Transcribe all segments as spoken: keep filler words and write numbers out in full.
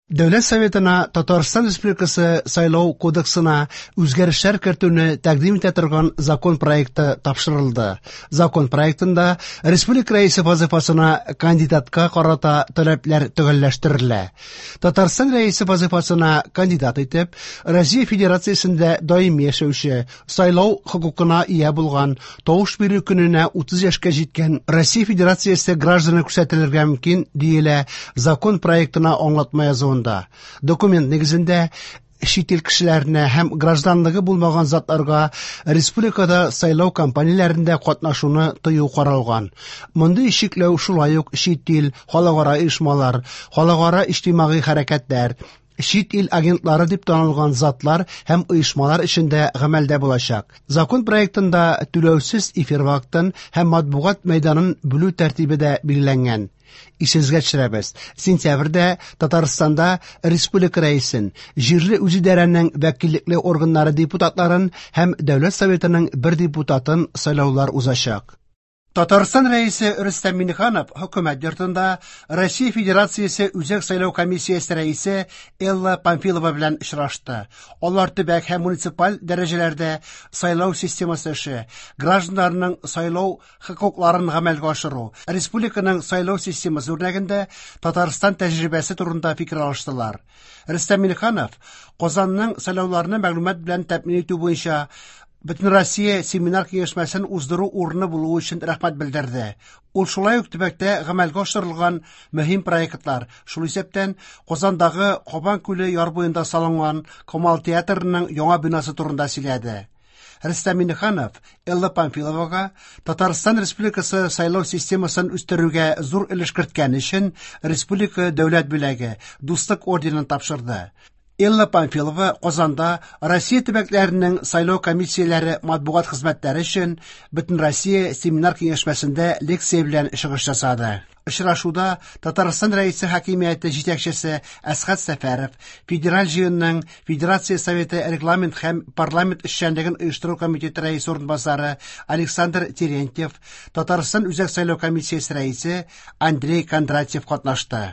Дәүләт Советына Татарстан Республикасы Сайлау кодексына үзгәрешләр кертүне тәкъдим итә торган закон проекты тапшырылды. Закон проектында республика рәисе вазифасына кандидатка карата таләпләр төгәлләштерелә. Татарстан рәисе вазифасына кандидат итеп Россия Федерациясендә даими яшәүче, сайлау хокукына ия булган, тавыш бирү көненә утыз яшькә җиткән Россия Федерациясе гражданы күрсәтелергә мөмкин, диелә закон проектына аңлатма язуында. Документ нигезендә чит ил кешеләренә һәм гражданлыгы булмаган затларга республикада сайлау кампанияләрендә катнашуны тыю каралган. Мондый чикләү шулай ук чит ил, халыкара оешмалар, халыкара иҗтимагый хәрәкәтләр, чит ил агентлары дип танылган затлар һәм оешмалар эчендә гамәлдә булачак. Закон проектында түләүсез эфир вакытын һәм матбугат мәйданын бүлү тәртибе дә билгеләнгән. Исегезгә төшерәбез, сентябрьдә Татарстанда республика рәисен, җирле үзидарәнең вәкиллекле органнары депутатларын һәм Дәүләт Советының бер депутатын сайлаулар узачак. Татарстан рәисе Рөстәм Миңнеханов хөкүмәт йортында Россия Федерациясе Үзәк сайлау комиссиясе рәисе Элла Памфилова белән очрашты. Алар төбәк һәм муниципаль дәрәҗәләрдә сайлау системасы эше, гражданнарның сайлау хокукларын гамәлгә ашыру, республиканың сайлау системасы үрнәгендә Татарстан тәҗрибәсе турында фикер алыштылар. Рөстәм Миңнеханов Казанның сайлауларны мәгълүмат белән тәэмин итү буенча Бөтенроссия семинар киңәшмәсен уздыру урыны булуы өчен рәхмәт белдерде. Ул шулай ук төбәктә гамәлгә ашырылган мөһим проектлар, шул исәптән Казандагы Кабан күле яр буенда салынган Камал театрының яңа бинасы турында сөйләде. Рөстәм Миңнеханов Элла Памфиловага Татарстан Республикасы сайлау системасын үстерүгә зур өлеш керткән өчен республика дәүләт бүләге Дуслык орденын тапшырды. Элла Памфилова Казанда Россия төбәкләренең сайлау комиссияләре матбугат хезмәтләре өчен Бөтенроссия семинар киңәшмәсендә лекция белән чыгыш ясады. Очрашуда Татарстан Рәисе хакимияте җитәкчесе Әсхәт Сәфәров, Федераль җыенның Федерация Советы регламент һәм парламент эшчәнлеген оештыру комитеты рәисе урынбасары Александр Терентьев, Татарстан Үзәк сайлау комиссиясе рәисе Андрей Кондратьев катнашты.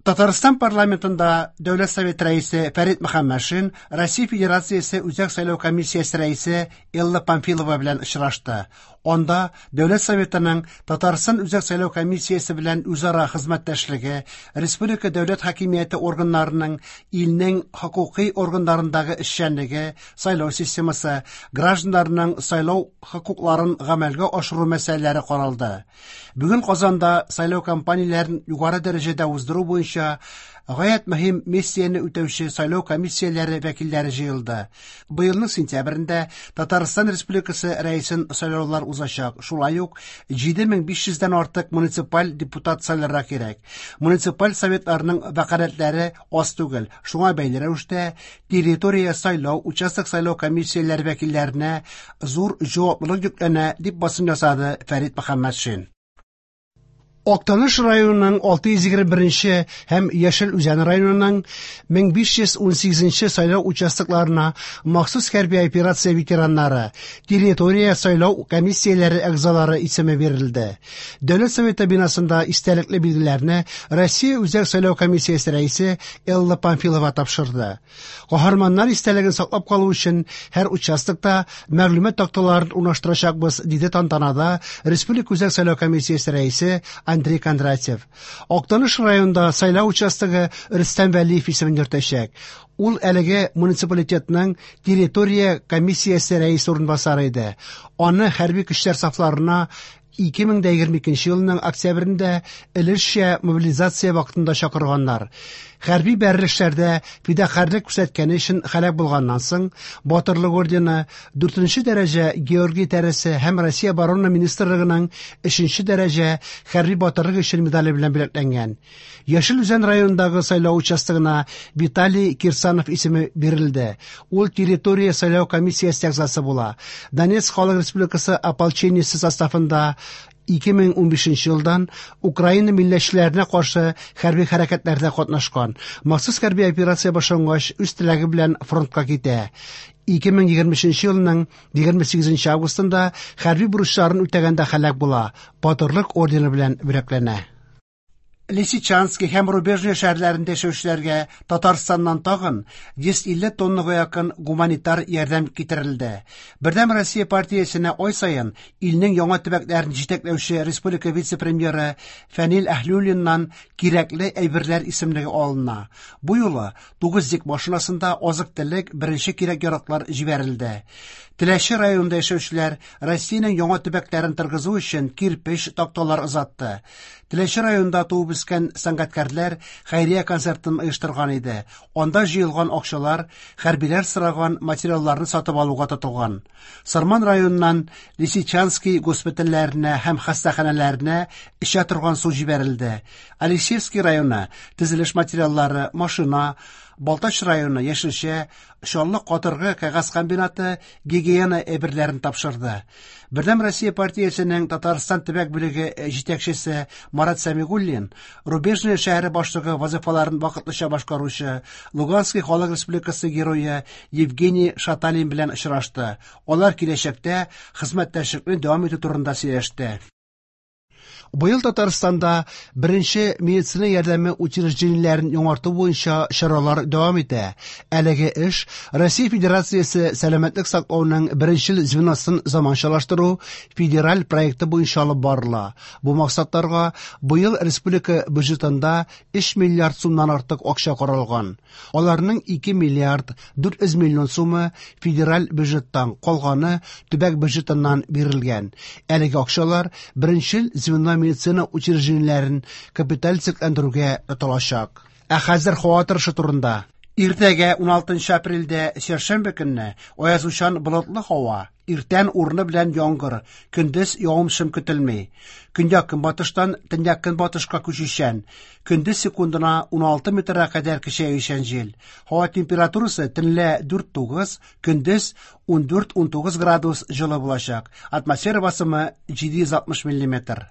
Татарстан парламентында Дәүләт Советы рәисе Фәрит Мөхәммәтшин Россия Федерациясе Үзәк сайлау комиссиясе рәисе Элла Памфилова белән очрашты. Анда Дәүләт Советының Татарстан Үзәк сайлау комиссиясе белән үзара хезмәттәшлеге, республика дәүләт хакимияте органнарының илнең хокукый органнарындагы эшчәнлеге, сайлау системасы, гражданнарның сайлау хокукларын гамәлгә ашыру мәсьәләләре каралды. Бүген Казанда сайлау кампанияләрен югары дәрәҗәдә уздыру буенча гаять мөһим миссияне үтәүче сайлау комиссияләре вәкилләре җыелды. Быелның сентябрендә Татарстан Республикасы рәисен сайлаулар узачак. Шулай ук җиде мең биш йөздән артык муниципаль депутат сайларга кирәк. Муниципаль советларның вәкаләтләре аз түгел. Шуңа бәйле рәвештә территория сайлау, участок сайлау комиссияләре вәкилләренә зур җаваплылык йөкләнә, дип басым ясады Фәрит Мөхәммәтшин. Актаныш районының алты йөз егерме беренче һәм Яшел Үзән районының мең биш йөз унсигезенче сайлау участокларына махсус хәрби операция ветераннары, территория сайлау комиссияләре әгъзалары исеме бирелде. Дәүләт Советы бинасында истәлекле билгеләрне Россия Үзәк сайлау комиссиясе рәисе Элла Памфилова тапшырды. Каһарманнар истәлеген саклап калу өчен һәр участокта мәгълүмат такталарын урнаштырачакбыз, диде тантанада Республика Үзәк сайлау комиссиясе рәисе Андрей Кондратьев. Актаныш районында сайлау участогы Рөстәм Вәлиев исемен йөртәчәк. Ул әлеге муниципалитетның территория комиссиясе рәисе урынбасары иде. Аны хәрби көчләр сафларына ике мең дә егерме икенче елның октябрендә өлешчә мобилизация вакытында чакырганнар. Хәрби бәрелешләрдә фидакарьлек күрсәткәне өчен һәлак булганнан соң Батырлык ордены, дүртенче дәрәҗә Георгий тәресе һәм Россия Оборона Министрлыгының өченче дәрәҗә хәрби батырлык өчен медале белән бүләкләнгән. Яшел Үзән районындагы сайлау участогына Виталий Кирсанов исеме бирелде. Ул территория сайлау комиссиясе әгъзасы була. Донецк Халык Республикасы ополчениесе составында ике мең унбишенче елдан Украина милләтчеләренә каршы хәрби хәрәкәтләрдә катнашкан. Махсус хәрби операция башлангач, үз теләге белән фронтка китә. Ике мең егерме өченче елның егерме сигезенче августында хәрби бурычларын үтәгәндә һәлак була. Батырлык ордены белән бүләкләнә. Лисичанский һәм Рубежное шәһәрләрендә яшәүчеләргә Татарстаннан тагын йөз илле тоннага якын гуманитар ярдәм китерелде. Бердәм Россия партиясенә ай саен илнең яңа төбәкләрен җитәкләүче республика вице-премьеры Фәнил Әһлиуллиннан кирәкле әйберләр исемлеге алына. Бу юлы тугыз йөк машинасында азык-төлек, беренче кирәк-яраклар җибәрелде. Теләче районында яшәүчеләр Россиянең яңа төбәкләрен торгызу өчен кирпеч, такталар озатты. Теләче районында туып үскән сәнгатькәрләр хәйрия концертын оештырган иде. Анда җыелган акчалар хәрбиләр сораган материалларны сатып алуга тотылган. Сарман районыннан Лисичанский госпитальләренә һәм хастаханәләренә эчә торган су җибәрелде. Алексеевский районы төзелеш материаллары, машина, Балтач районы яшелчә, Чаллы катыргы кәгазь комбинаты гигиена әйберләрен тапшырды. Бердәм Россия партиясенең Татарстан төбәк бүлеге җитәкчесе Марат Сәмигуллин Рубежное шәһәре башлыгы вазифаларын вакытлыча башкаручы Луганский халык республикасы герое Евгений Шаталин белән очрашты. Алар киләчәктә хезмәттәшлекне дәвам итү турында сөйләште. Быел Татарстанда беренче медицина ярдәме учреждениеләрен яңарту буенча чаралар дәвам итә. Әлеге эш Россия Федерациясе сәламәтлек саклауның беренчел звеносын заманчалаштыру федераль проекты буенча алып барыла. Бу максатларга быел республика бюджетында өч миллиард сумнан артык акча каралган. Аларның ике миллиард дүрт йөз миллион сумы федераль бюджеттан, калганы төбәк бюджетыннан бирелгән. Әлеге акчалар беренчел звено медицина учреждениеләрен капиталь төзекләндерүгә тотылачак. Ә хәзер һава торышы турында. Иртәгә уналтынчы апрельдә сәршәмбе көнне аязучан болытлы һава, иртән урыны белән яңгыр, көндез явым-төшем көтелми. Көньяк көнбатыштан төньяк көнбатышка күчүчән, көндез секундына уналты метрга кадәр көчәючән җил. Һава температурасы төнлә дүрт тугыз, көндез ундүрт-унтугыз градус җылы булачак. Атмосфера басымы җиде йөз алтмыш миллиметр.